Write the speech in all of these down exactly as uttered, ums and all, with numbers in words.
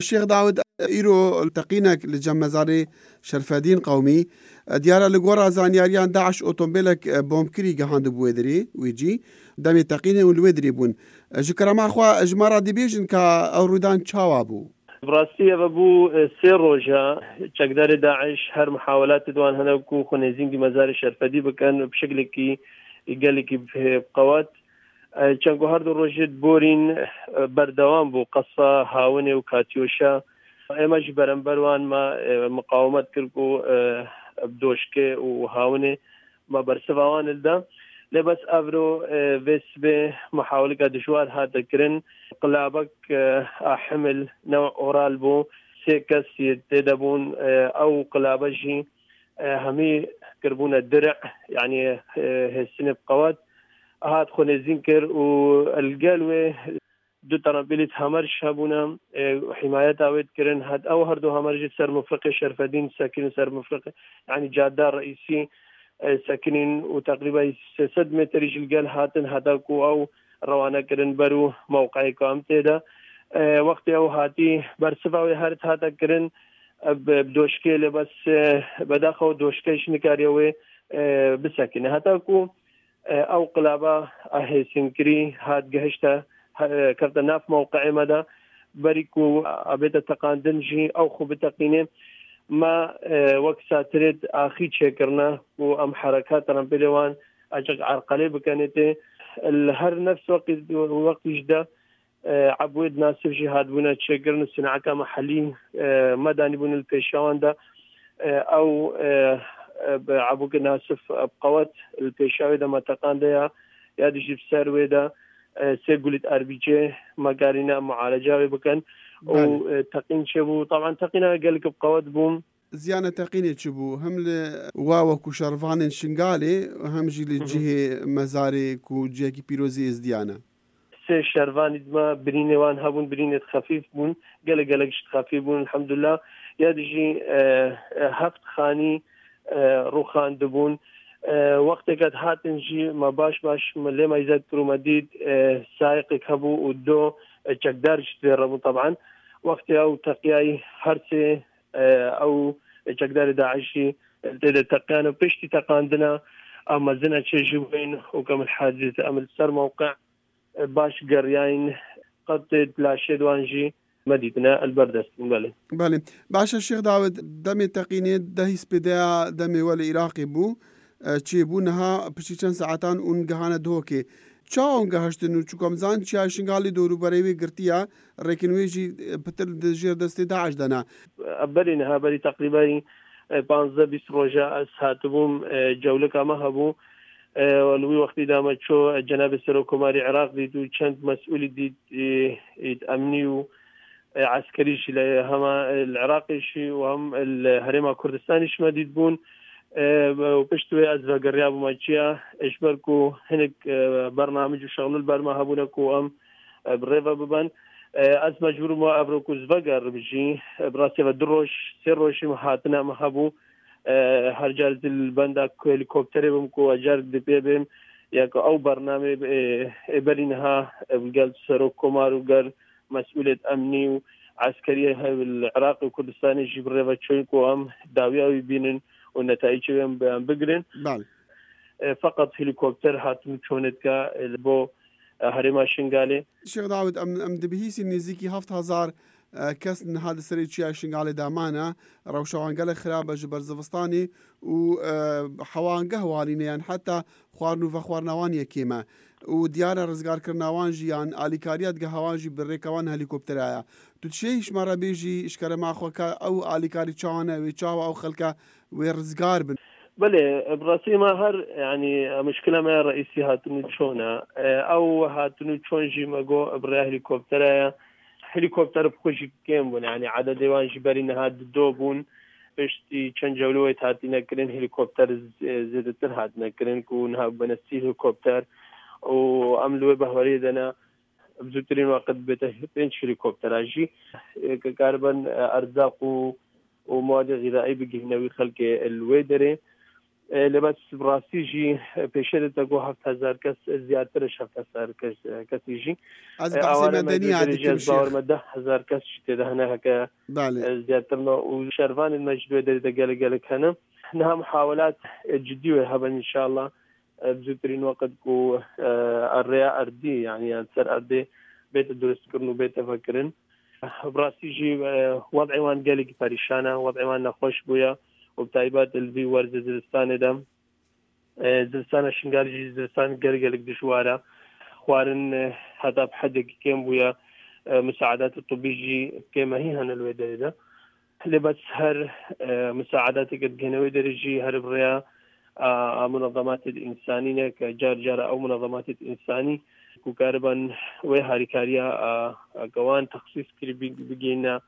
Şêx Dawid, îro teqînek li cem mezarê Şerfedîn Qewmî. Diyar e, li gora zanyariyan DAIŞ otomobîlek bombkirî gihandibû wê dirê, wê cî. Demê teqînê û li wê dirê bûn. Ji kerema xwe, ji me re dibêjin ka ew rûdan çawa bû? Bi rastî ev bû, e, sê roja çekdarê DAIŞ her mihawelatê di wan hene ku xwe nêzîngî mezarê Şerfedî bikin, bi şeklekî gelekî bi, bi qewet. E, çend ku her du rojê di borîn, e, berdewam bû qesa hawinê û katyoşa. Ême jî berember wan me, e, miqawemet kir ku, e, bi doşkê û hawinê me bersiva wan hilda. Lê bes evro, e, vê sibê muhawileka dijwar hate kirin. Qilabek, e, a himil new oral bû. Sê kes yê tê de bûn. E, ew qilabe jî, e, hemî kiribûne diric, yanî, e, hêstinê bi qewet. Hat xwe nêzîn kir û li gel wê du terempîlî Hamer jî hebûne, e, hîmayeta wê dikirin. Hat ew her du Hamer jî ser mifriqê Şerfedîn sekinîn, ser mifriqê, yanî cadda reîsî, e, sekinîn û teqrîben sê sed metrî jî li gel hatin, heta ku ew rewane kirin ber û mewqeyê ku em tê de. E, wextê ew hatî bersiva wê her hate kirin, e, bi, bi doşkê lê bes, e, bedaxa ew doşke jî nikariye wê, e, bisekine. Heta ku e, ew qilaba a hêsinkirî hat gihişte, he-, kevte nav mewqeyê me de, berî ku a bête teqandin jî ew xwe biteqîne. Me, e, wek satirêt axî çêkirine ku em herekat rempêlê wan açik erqelê bikenê tê. Li her nefs weqî, weqtî jî de e, Ebwêd Nasif jî hatibûne çêkirin û sineka mehellî, e, me danîbûne li pêşiya wan de. E, ew, e, e, bi Ebûkê Nasif, e, bi qewet li pêşiya wê de me teqan de ya, ya dî jî bi ser wê de, e, sê gulît R B G me karîne mualeca wê bikin. Û, Belê. e, teqîn çêbû. Taban teqîna gelek bi qewet bû. Ziyana teqînê çi bû? Hem li wa wekû şervanên Şingalê, hem jî li Hı hı. cihê mezarê ku cihekî pîrozî Êzdiyan e. Sê şervanî di me birînê wan hebûn, birînê xefîf bûn, gelek gelek jî xefîf bûn, elhamdulillah. Ya dijî, e, e, heft xanî, e, rûxandibûn. E, wextê ke hatin jî me baş baş me lê me îzet kir û me dît, e, sayiqek hebû û do, e, çekdar jî tê re bûn taban. Wextê ew teqiyayî her sê, e, ew çekdarê DAIŞ jî tê de teqiyan û piştî teqandina ew mezin e çê ji wên û ke min hezî em li ser mewqe baş geriyayîn, qet laşê di wan jî me dîtine, li ber dest bûn, belê. Belê. Baş e Şêx Dawid, demê teqînê dehî spêdeya demê we li Iraqê bû, e, çêbû, niha piştî çend saetan hûn gihane Duhokê. Çawa hûn gehiştin û çûka em zan çiya Şingalê dorûberê wê girtiye, rêkin wê jî, e, pitir di jêr destê DAIŞ de ne? Berî niha, berî teqrîben, e, panzdeh bîst roja ez hatibûm, e, cewlika me hebû. E, li wî wextî de me çû, e, cenabê Serokkomarî Iraq dît û çend mesûlî dît, e, êt emnî û, e, eskerî jî li hema, e, li Iraqê jî û hem li Herêma Kurdistanê jî me dît bûn. E, û pişt wê ez vegeriyabûme çiya, e, ji ber ku hinek, e, bernamij û şexlû li ber me hebûne ku em, e, bi rê ve biben. E, ez mecbûr bûme evro ku ez vegerim jî. E, bi rastî ve du roj, sê roj jî me hatine me hebû. E, her car ez li benda ku helîkopterê bim ku ez car di pê bêm, ya ku ew bernamê, e, ê berî niha, e, gel serok komar û gel mesûlêt emnî û eskeriyê hev li Iraqê û Kurdistanê jî bi rê ve çûn ku em dawiya wî bînin û netayîcê wê em bi-, em bigirin. Belê. E, feqet helîkopter hatin û çûnê dike, e, li bo, e, herêma Şingalê. Şêx Dawid, em, em dibihîsîn nêzîkî heft hezar, e, kes niha di serê çiya Şingalê de mane. Rewşa wan gelek xirab e ji ber zivistanê û, e, hewa geh walîne, yan heta xwarin û vexwarina wan yê kêm e. Û diyar e rizgarkirina wan jî yan alîkariya digeha wan jî bi rêka wan helîkoptera ye. Tu dişêy ji me re bêjî, ji kerema xwe, ka ew alîkarî çawa ne, wê çawa ew xelke wê rizgar bin? Belê, bi rastî me her, yanî, muşkila me ya reîsî hatin û çûn e. E, ew hatin û çûn jî me got bi rêya helîkoptera ye. Helîkopter bi xwe jî kêm bûn, yanî ededê wan jî berî niha di do bûn. Piştî çend cewlê wê hatine kirin, helîkopter z-, zêdetir hatine kirin ku niha bûne sî helîkopter û em li wê behweriyê de ne. Bi zûtirîn weqt bête pênc helîkoptera jî, e, ke karibin, e, erzaq û, û mewadi xîzaî bigihîne wî xelkê li wê derê. E, lê bes bi rastî jî, e, pêşê de te got heft hezar kes, e, ziyadtir ji heft hezar kes, e, kesî jî. Ez E, behsê awane me medenî dû hatî derece kim ez şêx. Bawer me deh hezar kes jî tê de hene heke, Belê. e, ziyadtir me û şervanên me ji wê derê de gelek gelek hene. Niha muhawelat, e, cidî wê heben înşallah. E, bi zûtirîn weqt ku, e, rêya erdî, yani, yan ser erdê bête durustkirin û bête vekirin. Bi rastî jî, e, wed'ê wan gelekî perîşan e, wed'ê wan nexweş bûye û bi taybet li vî werzê ziristanê de, e, ziristana Şingal jî ziristan gelek gelek dijwar e. Xwarin, e, heta bi hedekî kêm bûye. E, musaedatê tibî jî kêmehî hene li wê derê de. Lê bes her, e, musaedateke digihîne wê derê jî her bi rêya, a, a munezematê însanî ne, ke car cara ew munezematê însanî ku kariban wê harîkariya, a, a, ke wan texsîs kirî bi-, bigihîne,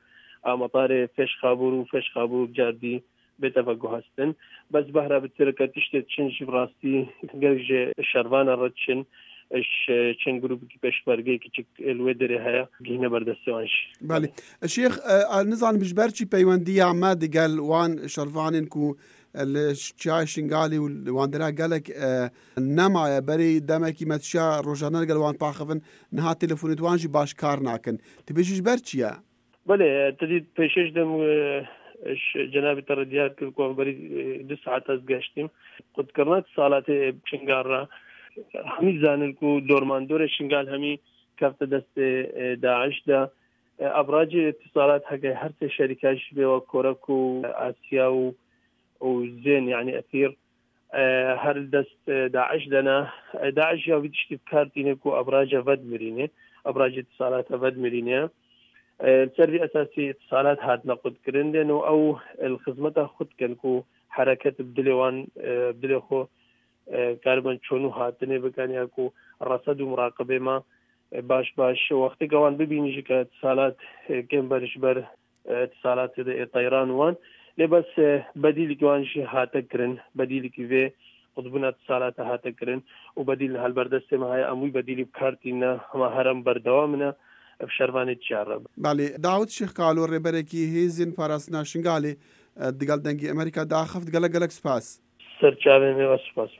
a, metarê Fêşxabûr û Fêşxabûr car dî bête veguhestin. Bes behra bi tirke tiştê çin jî bi rastî gelek ji şervana re çin, ji çend grûpekî pêşmergeyê kiçik li wê derê heye, gihîne ber destê wan jî. Belê. Şêx, e, e, nizanim ji ber çi peywendiya me digel wan şervanên ku, e, li ş-, çiyayê Şingalê û li wan dera gelek, e, nemaye. Berê demekî me tişiya rojane digel wan paxivin, niha telefonê wan jî baş kar nakin. Tu bêjî ji ber çi ye? Belê, te dît pêşê ji dem, e, ji cenabê te re diyar kir ku em berî, e, du saet ez geştîm. Qutkirina itisalatê Şingal re, hemî zanin ku dormandorê Şingal hemî kefte destê, e, DAIŞ de. E, abracê itisalat heke her sê şerîka ji vê wek Korek û Asya û, û Zên, yani Efîr, e, her li dest, e, DAIŞ de ne. E, DAIŞ ya vî tiştî bi kar tîne ku abraca vedmirîne, abracê itisalata vedmirîne. E, li ser vî esasî itisalat hatine qutkirin, lê no ew, e, li xizmeta xwe dikin ku hereket bi dilê wan, e, bi dilê xwe, e, karibin çûn û hatinê bikin ya ku resed û muraqibê me, e, baş baş wexteke wan bibînin jî ke itisalat, e, kêm ber ji ber, e, itisalatê de ê teyran wan. Lê bes, e, bedîlekî wan jî hate kirin, bedîlekî vê qutbûna itisalata hate kirin û bedîl li helber destê me heye, em wî bedîlî bi kar tîne, hema herem berdewam ne, ev şervanê çiya re. Belê, Dawid Şêx Kalo, rêberekî Hêzên Parastina Şingalê, e, digel Dengê Amerîka daxist, gelek gelek spas. Ser çavên me ve spas.